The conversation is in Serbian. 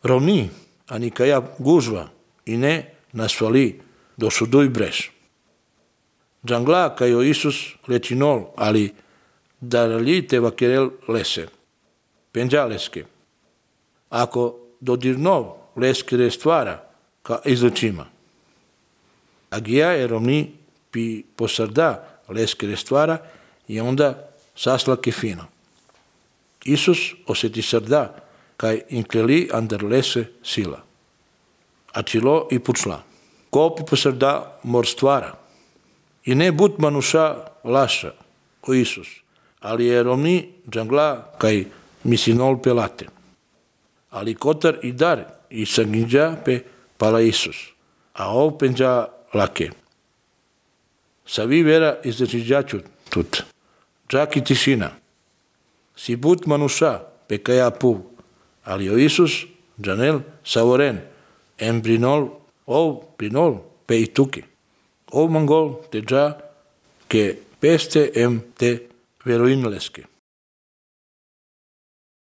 rovni, ani caia guzva, i ne nasfali do sudui breš. Jangla caio Isus lecinol, ali darali te vaquerel lese. Penja leske. Ako dodirnov leske restvara, ca izlučima. Agija je rovni pi posarda leske restvara i onda saslake fino. Isus oseti sarda, kaj inkleli andar lese sila. Acilo i pučla. Kopi posarda mor stvara. I ne but manuša laša, o Isus, ali je rovni jangla kaj misinol pelate. Ali kotar i dar i sanginja pe pala Isus, a ov penja lake. Savi vera izdečiđaču tut. Čak i tišina. Si but manuša pe kaja pu, ali o Isus janel savoren, em brinol, ov brinol pe i tuki. Ov mangol te ja ke peste em te veroinleske.